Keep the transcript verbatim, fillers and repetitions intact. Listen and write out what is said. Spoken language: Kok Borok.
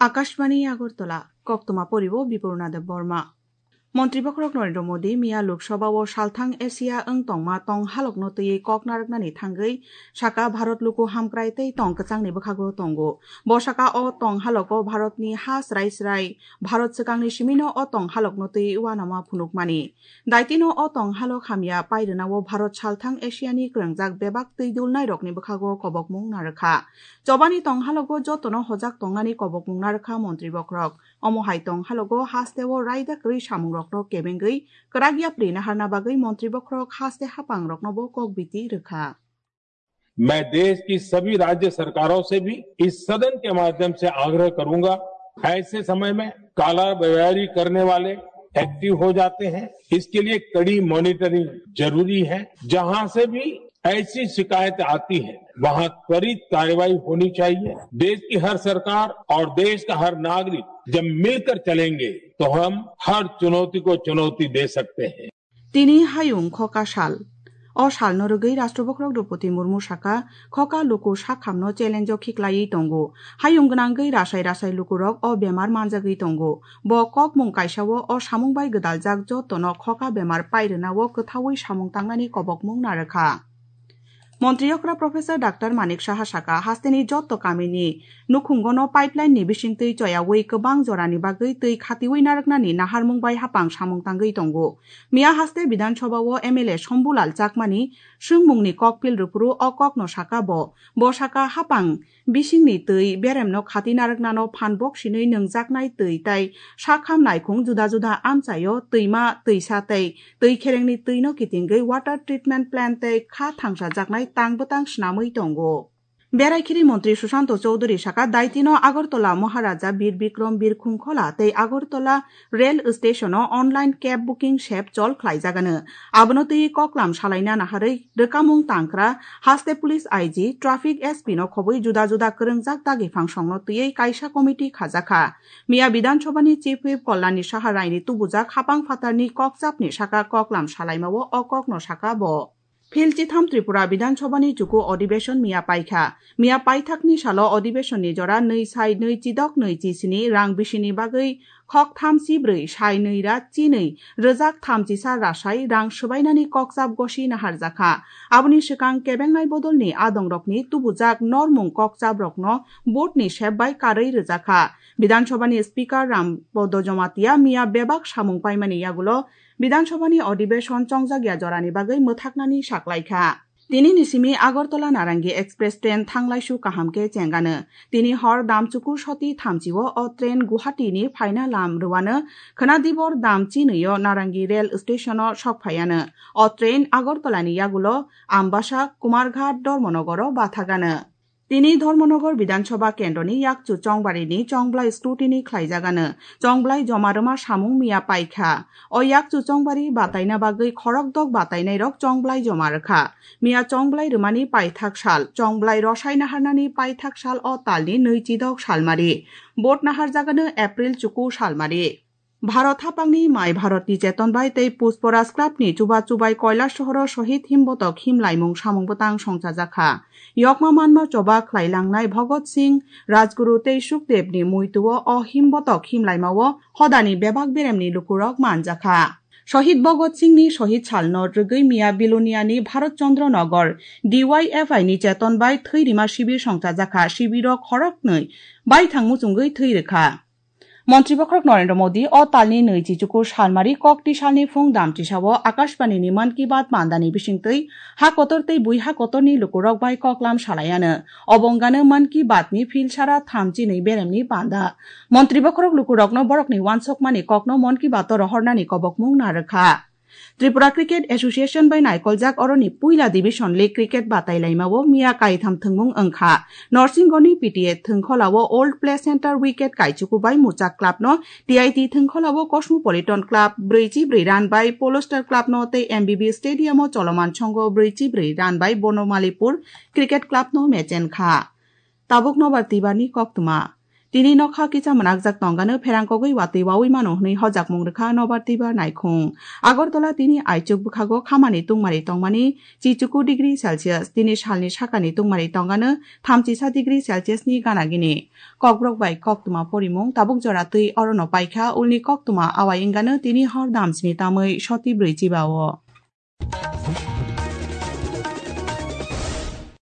Akashbani Agartala, koktwma poribo Bipurna Deb Borma. Montri Bokhorok Narendra Modi miya Lok Sabha o salthang Asia wng tongma tong halokno twiwi kok narwknani thangwi saka Bharat luku hamkrai tei tong kwchangni bwkhago tongo. Bo saka o tong halogo Bharatni ha srai srai Bharat swkangni simino o tong halokno twiwi uanama phunukmani. Daitino o tong halok hamya pairwnao Bharat salthang Asiani kwrwngjak bebak twi dulnairokni bwkhago kobokmung narwkha. Chobani tong halogo jotono hojak tongnani kobokmung narwkha Montri Bokhorok. Omo hai tong halogo hasteo raida kwrwi samungrokno kebengwi kwrak yapri naharna bagwi Montri Bokhorok haste haphangroknobo kok biti rwkha. मैं देश की सभी राज्य सरकारों से भी इस सदन के माध्यम से आग्रह करूंगा, ऐसे समय में काला बयारी करने वाले एक्टिव हो जाते हैं, इसके लिए कड़ी मॉनिटरिंग जरूरी है। जहां से भी ऐसी शिकायत आती है, वहां त्वरित कार्रवाई होनी चाहिए। देश की हर सरकार और देश का हर नागरिक जब मिलकर चलेंगे, तो हम हर चुनौती को चुनौती दे सकते हैं। Tini hayung khoka sal. O salno rwgwi Rashtra Bokhorok Droupadi Murmu saka, khoka luku sakhamno challenge o khiklaiwi tongo. Hayung gwnangwi rasai rasai lukurok o bemar manjagwi tongo. Bo kokmung kaisao o samung bai gwdaljak jotono khoka bemar pairwnao kwthaui samung tangnani kobokmung narwkha. Montri okra Professor Doctor Manik Saha saka, hasteni jotto kamini nukhungono pipeline ni bisingtwi choyaui kwbang jorani bagwi twi khatiui narwknani naharmung bai hapang samung tangwi tongo. Miya haste Bidhan Sabha o M L A Shambhu Lal Chakmani swngmungni kokphil rwphuru o kokno saka bo. Bo saka hapang bisingni twi beremno khati narwknano phan bok sinwi nwngjaknai twi tai sakham naikhung juda juda amchaio twima, twisa tei twi kherengni twino kitingwi water treatment plant tei kha thangsajaknai tang bwtang snamwi tongo. Beraikhiri montri Sushanta Chowdhury saka, daitino Agartala Maharaja Bir Bikram Birkhung Khola tei Agartala rail station o online cab booking sep chol khlaijagano. Abono twi koklam salaina naharwi rwkamung tangkra haste police I G, traffic S P no khobwi juda juda kwrwngjak dagi phangsongno twiwi kaisa committee khajakha. Miya Bidhan Sabha ni Chief Whip Kalyani Saha Raini tubujak hapang phatarni kokchapni saka koklam salaimao o kokno saka bo. Phil chitham Tripura Bidhan Sabha ni chuku adhibeshon miya paikha. Miya paithakni salo adhibeshon ni jora nwi sai nwi chidok nwi chisini rang bisini bagwi khok tham chibrwi sai nwi ra chinwi rwjak tham chisa rasai rang swbainani kokchap gosi naharjakha. Aboni swkang kebengnai bodolni adongrokni tubujak normung kokchaprokno board ni sep bai karwi rwjakha. Bidhan Sabha ni Speaker Ram Podo Jamatia miya bebak samung paimani yagulo Bidhan Sabha ni adhibeshon chongjak ya jorani bagwi mwthaknani saklaikha. Tini ni simi Agartala Narangi Express train thanglaisu kaham khe chengano. Tini hor damchuku soti thamchi o o train Guwahati ni phaina lam rwano khwna dibor dam chinwi o Narangi rail station o sok phaiano. O train Agartala ni yagulo Ambasa, Kumarghat, Dharmanagar o bathagano. Tini Dharmanagar Bidhan Sabha kendroni yakchu chongbarini chongblai scrutiny khlaijagano. Chongblai joma rwma samung miya paikha. O yakchu chongbari bataina bagwi khorokdok batainairok chongblai joma rwkha. Miya chongblai rwmani paithak sal, chongblai rosai naharnani paithak sal o talni nwi chidok salmari. Vote naharjagano April chuku salmari. Bharat hapangni mai Bharatni Cheton bai tei Pushparas Club ni chuba chubai Kailash sohoro Shohid Himbotok himlaimung samung bwtang songchajakha. Yokma manma choba khlailangnai Bhagat Singh, Rajguru tei Sukdev ni muitu o o Himbotok himlaima o hodani bebak beremni lukurok manjakha. Shohid Bhagat Singh ni Shohid salno rwgwi miya Bilonia ni Bharat Chandra Nagar D Y F I ni Cheton bai thwi rima sibir songchajakha, sibiro khoroknwi baithang muchungwi thwi rwkha. Montri Bokhorok Narendra Modi o talni nwi chichuku salmari kokti salni phung damchisao Akashbani ni Mann Ki Baat mandani bisingtwi ha kotor tei bui ha kotorni lukurok bai koklam salaiano. Obo wngano Mann Ki Baat ni phil sara thamchi nwi beremni panda. Montri Bokhorok lukurokno borokni uansukmani kokno Mann Ki Baat o rohornani kobokmung narwkha. Tripura Cricket Association bai naikoljak oroni puila Division League cricket batailaimao miya kaitham thwngmung wngkha. Norsingoni P T A thwngkholao Old Play Centre wicket kaichuku bai Muchak Club no, T I T thwngkholao Cosmopolitan Club brwi chi brwi run bai Polestar Club no tei M B B Stadium o choloman songo brwi chi brwi run bai Bonomalipur Cricket Club no mechenkha. Tabuk nobar twibarni koktwma. Tini nokha kisa mwnakjak tongano pherang kogwi watwi wawi mano hwnwi hojakmung rwkha nobar twibar naikhung. Agartala tini aichuk bwkhago khamani tungmari tongmani chichuku degree Celsius, tini salni sakani tungmari tongano thamchisa degree Celsius ni gana gini. Kokborok bai koktwma porimung tabuk jora twi orono paikha, ulni koktwma awai wngano tini hor damsini tamwi soti brwi chiba-o.